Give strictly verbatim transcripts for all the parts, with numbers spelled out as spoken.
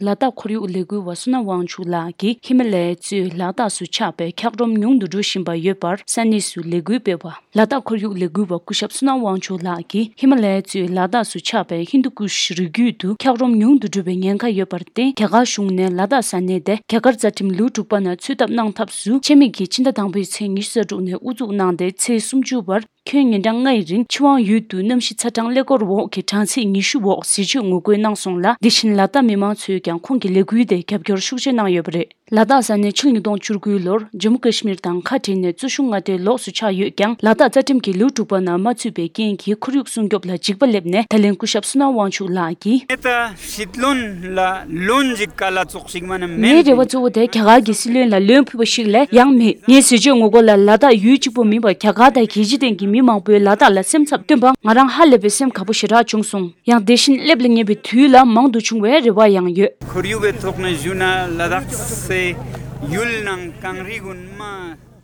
ལ་དྭགས་ཁོར་ཡུག་ལས་འགུལ་བ་བསོད་ནམས་དབང་ཕྱུག་ལགས་ཀྱིས་ཧི་མ་ལ་ཡའི་གཙོས་ལ་དྭགས་སུ་ཆགས་པའི་འཁྱགས་རོམ་ཉུང་དུ་འགྲོ་བཞིན་པ་ཡོད་པར་ས་གནས་སུ་ལས་འགུལ་སྤེལ་བ། ལ་དྭགས་ཁོར་ཡུག་ལས་འགུལ་བ་སྐུ་ཞབས་བསོད་ནམས་དབང་ཕྱུག་ལགས་ཀྱིས་ཧི་མ་ལ་ཡ་གཙོས་ལ་དྭགས་སུ་ཆགས་པའི་ཧིན་དུ་ཀུཤ་རི་རྒྱུད་དུ་འཁྱགས་རོམ་ཉུང་དུ་འགྲོ་བའི་ཉེན་ཁ་ཡོད་པར་བརྟེན། རྒྱ་གར་གཞུང་ནས་ལ་དྭགས་ས་གནས་དེ་རྒྱ་གར་རྩ་ཁྲིམས་ལེའུ་དྲུག་པ་ནང་ཚུད་ཐབས་གནང་ཐབས་སུ་ཆེད་དམིགས་ཀྱིས་ཕྱི་ཟླ་དང་པོའི་ཚེས་ཉི་ཤུ་རྩ་དྲུག་ནས་དབུ་འཛུགས་གནང་སྟེ་ཚེས་སུམ་ཅུ་བར། ཁྱོན་ཉིན་གྲངས་ལྔའི་རིང་ཆུ་དབང་ཡུལ་དུ་གནམ་གཤིས་ཚ་གྲང་ཀླད་ཀོར་འོག་གི་གྲངས་ཚད་ཉི་ཤུ་འོག་ཟས་སྤྱོད་ངོ་རྒོལ་གནང་སོང་ལ། དེ་བཞིན་ལ་དྭགས་མི་མང་ཚོས་ཀྱང་ཁོང་གི་ལས་འགུལ་དེ་རྒྱབ་སྐྱོར་ཤུགས་ཆེ་གནང་ཡོད་པ་རེད། ལ་དྭགས་ས་གནས་ཕྱི་ལོ་ཉིས་སྟོང་བཅུ་དགུ་ལོར་ཇམ་མུ་ཀ་ཤི་མིར་དང་ཁ་བྲལ་ནས་གཙོ་གཞུང་མངའ་སྡེའི་ལོགས་སུ་ཆགས་ཡོད་ཀྱང་། ལ་དྭགས་རྩ་ཁྲིམས་ཀྱི་ལེའུ་དྲུག་པ་ནང་མ་ཚུད་པའི་རྐྱེན་གྱིས་ཁོར་ཡུག་སྲུང་སྐྱོབ་ལ་འཇིགས་པ་སླེབས་ནས། ད་ལན་སྐུ་ཞབས་བསོད་ནམས་དབང་ཕྱུག་ལགས་ཀྱིས། ངས་ད་སྲིད་བློན་ལ་བློན་ཞིག་ག་ལ་ཙོགས་ཤིག་མ་ནི་མེད། ངའི་རེ་བ་གཙོ་བོ་དེ་རྒྱ་གར་གྱི་སྲིད་བློན་ལ་བློན་ཕུད་པ་ཞིག་ལས་ཡང་མེད། ངའི་ཟས་སྤྱོད་ངོ་རྒོལ་ལ་ལ་དྭགས་ཡུལ་གཅིག་པུ་མིན་པར་རྒྱ་གར་དང་རྒྱལ་སྤྱི་སྟེང་གི་མི་མང་པོས་ལ་དྭགས་ལ་སེམས་འཚབ་བཏོན་པ་ང་རང་ཧ་ལས་པའི་སེམས་དགའ་པོ་ཞེ་དྲག་བྱུང་སོང་། ཡང་དེ་བཞིན་སླེབས་ལ་ཉེ་བའི་དུས་ལ་མང་དུ་འབྱུང་བའི་རེ་བ་ཡང་ཡོད། ཁོར་ཡུག་གི་ཐོག་ནས་ཞུ་ན་ལ་དྭགས་སི་ཡུལ་ནང་གངས་རི་གུན་མ།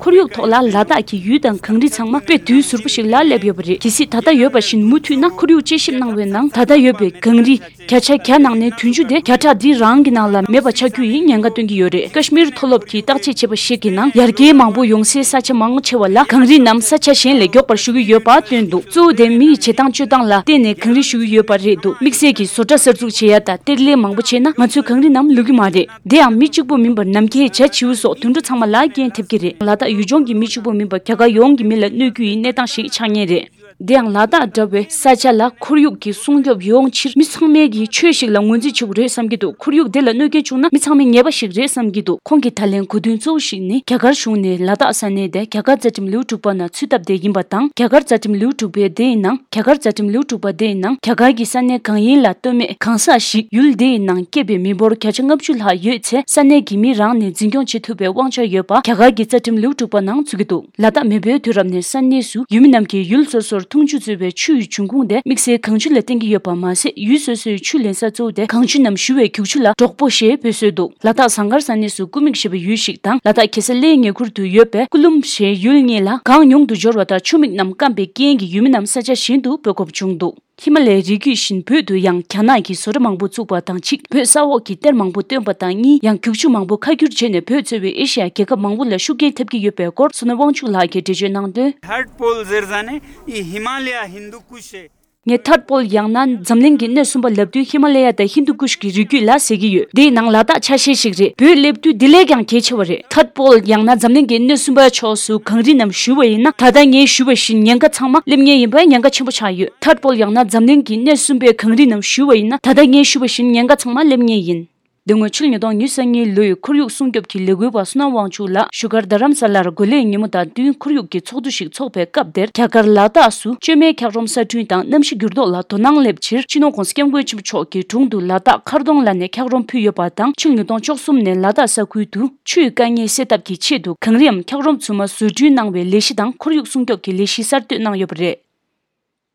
ཁོར་ཡུག་ཐོག་ལ་ལ་དྭགས་ཀྱི་ཡུལ་དང་གངས་རི་ཚང་མ་དཔེ་དུས་ཟུར་པོ་ཞིག་ལ་སླེབས་ཡོད་པ་རེད། གལ་སྲིད་ད་ལྟ་ཡོད་པ་བཞིན་མུ་མཐུད་ན། ཁོར་ཡུག་དཔྱད་ཞིབ་གནང་བའི་ནང་ད་ལྟ་ཡོད་པའི་གངས་རི་བརྒྱ་ཆ་བརྒྱ་ནང་ནས་བདུན་ཅུ་དེ་བརྒྱ་ཕྲག་འདིའི་རང་གི་ནང་ལ་མེད་པ་ཆགས་རྒྱུ་ཡི་ཉེན་ཁ་སྟོན་གྱི་ཡོད་རེད། ཀ་ཤི་མིར་མཐོ་སློབ་ཀྱིས་བརྟག་དཔྱད་བྱས་པ་ཞིག་གི་ནང་ཡར་རྒྱས་མང་པོ་ཡོང་སའི་ས་ཆ་མང་ཆེ་བ་ལ་གངས་རི་རྣམས་ས་ཆ་གཞན་ལས་མགྱོགས་པར་ཞུ་གི་ཡོད་པ་བཏོན་འདུག་གཙོ་བོ་དེ་མི་ཡི་བྱེད་སྟངས་སྤྱོད་སྟངས་ལ་བརྟེན་ནས་གངས་རི་ཞུ་གི་ཡོད་པ་རེད་འདུག་དམིགས་བསལ་གྱིས་བཟོ་གྲྭ་གསར་འཛུགས་བྱེད་ཡ་དང་གཏེར་ལེན་མང་པོ་བྱས་ན་ང་ཚོའི་གངས་རི་རྣམས་ལུད་ཀྱི་མ་རེད། དེ་ཡང་མི་གཅིག་པུ་མིན་པར་ནམ་མཁའི་བྱ་བྱིའུ་སོགས་དུད་འགྲོ་ཚང་མ་ལ་རྐྱེན་ཐེབས་ཀྱི་རེད། ལ་དྭགས་ཡུལ་ལྗོངས་ཀྱི་མི་གཅིག་པུ་མིན་པར་རྒྱ་གར་ཡོངས་ཀྱི་མི་ལ་གནོད་རྒྱུ་ཡི་གནས་སྟངས་ཤིག་ཆགས་ངེས་རེད། དེ་ཡང་ལ་དྭགས་འདྲ་བའི་ས་ཆ་ལ་ཁོར་ཡུག་གི་སྲུང་སྐྱོབ་ཡོང་ཕྱིར་མི་ཚང་མས་ཀྱི་ཆོས་ཤིག་ལ་ངོས་འཛིན་བྱེད་དགོས་རེད་བསམ་གྱི་འདུག་ཁོར་ཡུག་དེ་ལ་གནོད་སྐྱོན་བྱུང་ན་མི་ཚང་མས་ཉེས་པ་ཞིག་རེད་བསམ་གྱི་འདུག་ཁོང་གི་ད་ལན་གོ་དོན་གཙོ་བོ་ཞིག་ནི་རྒྱ་གར་གཞུང་ནས་ལ་དྭགས་ས་གནས་དེ་རྒྱ་གར་རྩ་ཁྲིམས་ལེའུ་དྲུག་པ་ནང་ཚུད་ཐབས་དེ་ཡིན་པ་དང་། རྒྱ་གར་རྩ་ཁྲིམས་ལེའུ་དྲུག་པའི་དེའི་ནང་རྒྱ་གར་རྩ་ཁྲིམས་ལེའུ་དྲུག་པ་དེའི་ནང་རྒྱ་གར་གྱི་ས་གནས་གང་ཡིན་ལ་ལྟོས་མེད་གང་ཟག་ཞིག་ཡུལ་དེའི་ནང་སྐྱེས་པའི་མི་འབོར་བརྒྱ་ཆ་ལྔ་བཅུ་ལྷག་ཡོད་ཚེ་ས་གནས་ཀྱི་མི་རང་ནས་འཛིན་སྐྱོང་བྱེད་ཐུབ་པའི་དབང་ཆ་ཡོད་པ་རྒྱ་གར་གྱི་རྩ་ཁྲིམས་ལེའུ་དྲུག་པ་ནང་ཚུད་ཀྱི་འདུག་ལ་དྭགས་མེས་པོའི་དུས་རབས་ནས་ས་གནས་སུ་ཡུལ་མི་རྣམས་ཀྱིས་ཡུལ་སོ་སོར་འཐུང་ཆུ་འཚོལ་བའི་ཆུ་ཡི་འབྱུང་ཁུངས་དེ་དམིགས་བསལ་གངས་ཆུ་ལ་བརྟེན་གྱི་ཡོད་པ་མ་ཟད། ཡུལ་སོ་སོའི་ཆུ་ལེན་ས་གཙོ་བོ་དེ་གངས་ཆུ་རྣམས་བཞུ་བའི་རྒྱུག་ཆུ་ལ་འབྲོག་པོ་ཞེས་འབོད་སྲོལ་འདུག་ལ་དྭགས་ཟངས་དཀར་ས་གནས་སུ་ཀུ་མིག་ཞེས་པའི་ཡུལ་ཞིག་དང་། ལ་དྭགས་གེ་སར་གླེའི་ཉེ་ཁུལ་དུ་ཡོད་པའི་ཀུ་ལུམ་ཞེས་ཡུལ་གཉིས་ལ་གངས་ཉུང་དུ་འབྱོར་བ་དང་ཆུ་མིག་རྣམས་སྐམ་པའི་རྐྱེན་གྱིས་ཡུལ་མི་རྣམས་ས་ཆ་གཞན་དུ་སྤོ་དགོས་བྱུང་འདུག་ཧི་མ་ལ་ཡའི་རི་རྒྱུད་བཞིན་བོད་དུ་ཡང་རྒྱ་ནག་གིས་བཟོ་གྲྭ་མང་པོ་བཙུགས་པ་དང་གཅིག་བོད་ས་འོག་གི་གཏེར་མང་པོ་བཏོན་པ་དང་གཉིས་ཡང་རྒྱུག་ཆུ་མང་པོ་ཁ་བསྒྱུར་བྱས་ནས་བོད་གཙོས་པའི་ཨེ་ཤི་ཡ་རྒྱལ་ཁབ་མང་པོ་ལ་ཤུགས་རྐྱེན་ཐེབས་ཀྱི་ཡོད་པའི་སྐོར་བསོད་ནམས་དབང་ཕྱུག་ལགས་ཀྱིས་འགྲེལ་བརྗོད་གནང་དོན། Third pole ཟེར་ས་ནི་ཨི་ཧི་མ་ལ་ཡ་ཧིན་དུ་ཀུ་ཤེ། ངས་ཐར་པོལ་ཡང་ན་འཛམ་གླིང་གི་སྣེ་གསུམ་པ་ལབ་དུས་ཧི་མ་ལ་ཡ་དང་ཧིན་དུ་ཀུཤ་གི་རི་རྒྱུད་ལ་ཟེར་གྱི་ཡོད། དེའི་ནང་ལ་དྭགས་ཆ་ཤས་ཤིག་རེད། བོད་སླེབས་དུས་འདི་ལས་ཀྱང་གལ་ཆེ་བ་རེད། ཐར་པོལ་ཡང་ན་འཛམ་གླིང་གི་སྣེ་གསུམ་པའི་ཕྱོགས་སུ་གངས་རི་རྣམས་བཞུ་བ་ཡིན་ན། ད་ལྟ་ངས་ཞུས་པ་བཞིན་ཉེན་ཁ་ཚང་མ་སླེབས་ངེས་ཡིན་པའི་ཉེན་ཁ་ཆེན་པོ་ཆགས་ཡོད། ཐར་པོལ་ཡང་ན་འཛམ་གླིང་གི་སྣེ་གསུམ་པའི་གངས་རི་རྣམས་བཞུ་བ་ཡིན་ན། ད་ལྟ་ངས་ཞུས་པ་བཞིན་ཉེན་ཁ་ཚང་མ་སླེབས་ངེས་ཡིན། དེ་སྔོན་ཕྱི་ལོ་ཉིས་སྟོང་ཉི་ཤུ་རྩ་གཉིས་ལོའི་ཁོར་ཡུག་སྲུང་སྐྱོབ་ཀྱི་ལས་འགུལ་བ་བསོད་ནམས་དབང་ཕྱུག་ལགས་བཞུགས་སྒར་རྡ་རམ་ས་ལར་འགོས་ལས་ཉིན་མོ་དང་བསྟུན་ཁོར་ཡུག་གི་ཚོགས་འདུ་ཞིག་འཚོགས་པའི་སྐབས་དེར། རྒྱ་གར་ལ་དྭགས་སུ་བཅོས་མའི་འཁྱགས་རོམ་གསར་སྐྲུན་དང་གནམ་གཤིས་འགྱུར་ལྡོག་ལ་དོ་སྣང་སླེབས་ཕྱིར། སྤྱི་ནོར་༸གོང་ས་༸སྐྱབས་མགོན་ཆེན་པོ་མཆོག་གི་དྲུང་དུ་ལ་དྭགས་མཁར་གདོང་ལ་ནས་འཁྱགས་རོམ་ཕུལ་ཡོད་པ་དང་། ཕྱི་ལོ་ཉིས་སྟོང་བཅུ་གསུམ་ནས་ལ་དྭགས་ས་ཁུལ་དུ་ཆུའི་དཀའ་ངལ་སེལ་ཐབས་ཀྱི་ཆེད་དུ་གངས་རིའམ་འཁྱགས་རོམ་ཚུལ་མ་བཟོ་སྐྲུན་གནང་བའི་ལས་གཞི་དང་ཁོར་ཡུག་སྲུང་སྐྱོབ་ཀྱི་ལས་གཞི་གསར་གཏོད་གནང་ཡོད་པ་རེད།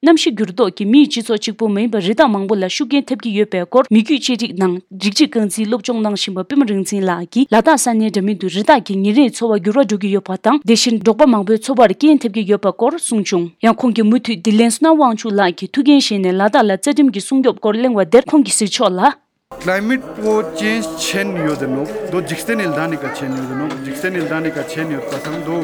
གནམ་གཤིས་འགྱུར་ལྡོག་གིས་མིའི་སྤྱི་ཚོགས་གཅིག་པུ་མ་ཡིན་པར་རི་དྭགས་མང་པོ་ལ་ཤུགས་རྐྱེན་ཐེབས་ཀྱི་ཡོད་པའི་སྐོར། མི་རྒྱུད་བཅོས་སྒྲིག་ནང་རིགས་གཅིག་རྐང་འཛིན་སློབ་སྦྱོང་གནང་བཞིན་པ་པུས་མོ་རིག་འཛིན་ལགས་ཀྱིས་ལ་དྭགས་ས་གནས་འདྲ་མིན་དུ་རི་དྭགས་ཀྱི་ཉིན་རེའི་འཚོ་བ་འགྱུར་བ་འགྲོ་གི་ཡོད་པ་དང་། དེ་བཞིན་འབྲོག་པ་མང་པོའི་འཚོ་བར་རྐྱེན་ཐེབས་ཀྱི་ཡོད་པའི་སྐོར་གསུངས་བྱུང་། ཡང་ཁོང་གིས་མུ་མཐུད་དིལ་ལན་བསོད་ནམས་དབང་ཕྱུག་ལགས་ཀྱིས་ཐུགས་འགན་བཞེས་ནས་ལ་དྭགས་ལ་རྩ་ཁྲིམས་ཀྱི་སྲུང་སྐྱོབ་སྐོར་གླེང་བ་དེར། ཁོང་གིས་གཟིགས་ཕྱོགས་ལ། Climate को चेन्ज छेन यो दनो दो जिक्स्ते निल्दाने का छेन यो दनो जिक्स्ते निल्दाने का छेन यो पसंद दो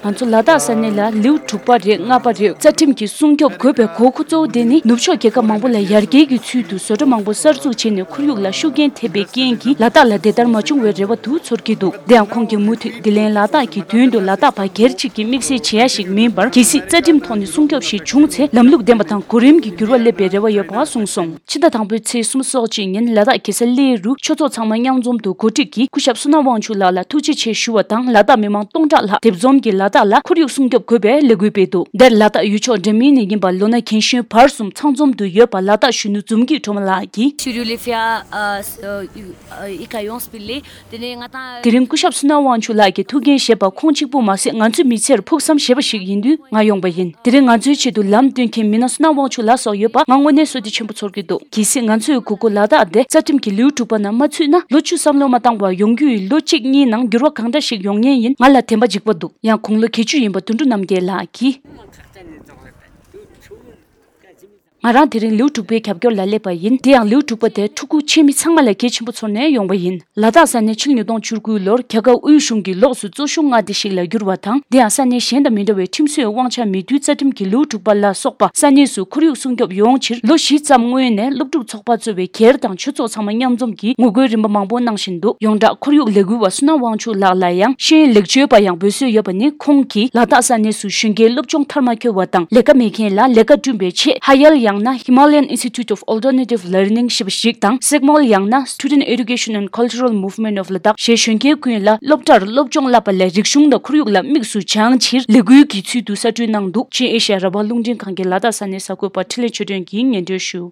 ང་ཚོ་ལ་དྭགས་ས་གནས་ལ་ལེའུ་དྲུག་པ་རེད། ལྔ་པ་རེད། རྩ་ཁྲིམས་ཀྱི་སྲུང་སྐྱོབ་དགོས་པའི་དགོས་མཁོ་གཙོ་བོ་དེ་ནི། ནུབ་ཕྱོགས་རྒྱལ་ཁབ་མང་པོ་ལ་ཡར་རྒྱས་ཀྱི་ཚུལ་དུ་བཟོ་གྲྭ་མང་པོ་གསར་འཛུགས་བྱས་ནས་ཁོར་ཡུག་ལ་ཤུགས་རྐྱེན་ཐེབས་པའི་རྐྱེན་གྱིས་ལ་དྭགས་ལ་དེ་ལྟར་མ་བྱུང་བའི་རེ་བ་དུ་ཚོར་གྱི་འདུག་དེ་ཡང་ཁོང་གིས་མུ་མཐུད་དིལ་ལན་ལ་དྭགས་ཀྱི་དོན་དུ་ལ་དྭགས་པ་སྒེར་གཅིག་གི་དམིགས་བསལ་བྱེད་ཡ་ཞིག་མིན་པར། གལ་སྲིད་རྩ་ཁྲིམས་ཐོག་ནས་སྲུང་སྐྱོབ་ཞིག་བྱུང་ཚེ་ལམ་ལུགས་ལྡན་པ་དང་གོ་རིམ་གྱི་འགྱུར་བ་སླེབས་པའི་རེ་བ་ཡོད་པ་གསུངས་སོང་། ཕྱི་ཟླ་དང་པོའི་ཚེས་སོ་གཅིག་ཉིན་ལ་དྭགས་གེ་སར་གླེ་རུ་ཆོས་ཚོགས་ཚང་མ་མཉམ་འཛོམས་དུ་གོ་སྒྲིག་གིས་སྐུ་ཞབས་བསོད་ནམས་དབང་ཕྱུག་ལགས་ལ་ཐུགས་རྗེ་ཆེ་ཞུ་བ་དང་། ལ་དྭགས་མི་མང་སྟོང་ཕྲག་ལྷག་སྡེབ་འཛོམས་ཀྱིས་ལ་དྭགས་ལ་ཁོར་ཡུག་སྲུང་སྐྱོབ་དགོས་པའི་ལས་འགུལ་སྤེལ་འདུག་དེར་ལ་དྭགས་ཡུལ་ཕྱོགས་འདྲ་མིན་ནས་ཡིན་པ་ལོ་ན་རྒན་གཞོན་བར་གསུམ་ཚང་འཛོམས་དུ་ཡོད་པ་ལ་དྭགས་གཞོན་ནུ་འཛོམས་སྐྱིད་སྒྲོལ་མ་ལགས་ཀྱིས། Sur les faits, euh, euh, ikayon spille དེ་ནས་ང་དང་། དེ་རིང་སྐུ་ཞབས་བསོད་ནམས་དབང་ཕྱུག་ལགས་ཀྱིས་ཐུགས་འགན་བཞེས་པ་ཁོང་གཅིག་པུ་མ་ཟད། ང་ཚོའི་མི་ཚེར་ཕུགས་བསམ་བཞེས་པ་ཞིག་ཡིན་དུས་ང་ཡོང་པ་ཡིན། དེ་རིང་ང་ཚོའི་ཆེད་དུ་ལམ་སྟོན་མཁན་མི་སྣ་བསོད་ནམས་དབང་ཕྱུག་ལགས་སོགས་ཡོད་པ་ང་དངོས་གནས་བསོད་བདེ་ཆེན་པོ་ཚོར་གྱི་འདུག་གལ་སྲིད་ང་ཚོའི་གུ་གུ་ལ་དྭགས་དེ་རྩ་ཁྲིམས་ཀྱི་ལེའུ་དྲུག་པ་ནང་མ་ཚུད་ན། ལོ་བཅུ་བསམ་བློ་མ་བཏང་བར་ཡོང་རྒྱུ་ཡི་ལོ་གཅིག་གཉིས་ནང་འགྱུར་བ་གང་འདྲ་ཞིག་ཡོང་ངེས་ཡིན། ང་ལ་བདེན་པ་འཇིགས་པ་འདུག་ཡང་དགུང་ལོ་བརྒྱད་ཅུ་ཡིན་པ་དོན་གྲུབ་རྣམ་རྒྱལ་ལགས་ཀྱིས། ང་རང་དེ་རིང་ལེའུ་དྲུག་པའི་རྒྱབ་སྐྱོར་ལ་སླེབས་པ་ཡིན། དེ་ཡང་ལེའུ་དྲུག་པ་དེ་ཕྲུ་གུ་ཆེན་མི་ཚང་མ་ལ་གལ་ཆེན་པོ་ཚོར་ནས་ཡོང་བ་ཡིན། ལ་དྭགས་ས་གནས་ཕྱི་ལོ་ཉིས་སྟོང་བཅུ་དགུ་ལོར་རྒྱ་གར་དབུས་གཞུང་གི་ལོགས་སུ་གཙོ་ཤུགས་མངའ་སྡེ་ཞིག་ལ་བསྒྱུར་བ་དང་། དེ་ཡང་ས་གནས་གཞན་དང་མི་འདྲ་བའི་ཁྲིམས་སྲོལ་དབང་ཆ་མེད་དུས་རྩ་ཁྲིམས་ཀྱི་ལེའུ་དྲུག་པ་ལ་སོགས་པ་ས་གནས་སུ་ཁོར་ཡུག་སྲུང་སྐྱོབ་ཡོང་ཕྱིར་ལོ་བཞི་ཙམ་སྔོན་ནས་སློབ་ཕྲུག་ཚོགས་པ་གཙོས་པའི་སྒེར་དང་ཆོས་ཚོགས་ཚང་མ་མཉམ་འཛོམས་ཀྱིས་ངོ་རྒོལ་རིམ་པ་མང་པོ་གནང་བཞིན་འདུག་ཡོངས་གྲགས་ཁོར་ཡུག་ལས་འགུལ་བ་བསོད་ནམས་དབང་ཕྱུག་ལགས་ལ་ཡང་ཤེས་ཡོན་ལེགས་བཅོས་པ་ཡང་འབོད་སྲོལ་ཡོད་པ་ནི། ཁོང་གིས་ལ་དྭགས་ས་གནས་སུ་གཞོན་སྐྱེས་སློབ་སྦྱོང་མཐར་མ་འཁྱོལ་བ་དང་ལས་ཀ་མེད་མཁན་ལ་ལས་ཀ་བསྐྲུན་པའི་ཆེད་ཧ་ཡལ་ཡང་ན་Himalayan Institute of Alternative Learning ཞེས་པ་ཞིག་དང་སེག་མོལ་ཡང་ན་Student Education and Cultural Movement of Ladakh ཞེས་གཞོན་སྐྱེས་ཀུན་ལ་སློབ་གྲྭར་སློབ་སྦྱོང་བསླབ་པ་ལས་རིག་གཞུང་དང་ཁོར་ཡུག་ལ་དམིགས་སུ་བྱང་ཕྱིར་ལས་འགུལ་གྱི་ཚུལ་དུ་གསར་སྐྲུན་གནང་འདུག་ཅིན་ཨེ་ཤ་ཡ་རང་དབང་རླུང་འཕྲིན་ཁང་གི་ལ་དྭགས་ས་གནས་གསར་འགོད་པ་འཕྲིན་ལས་ཆོས་སྒྲོན་གྱིས་སྙན་སྒྲོན་ཞུ།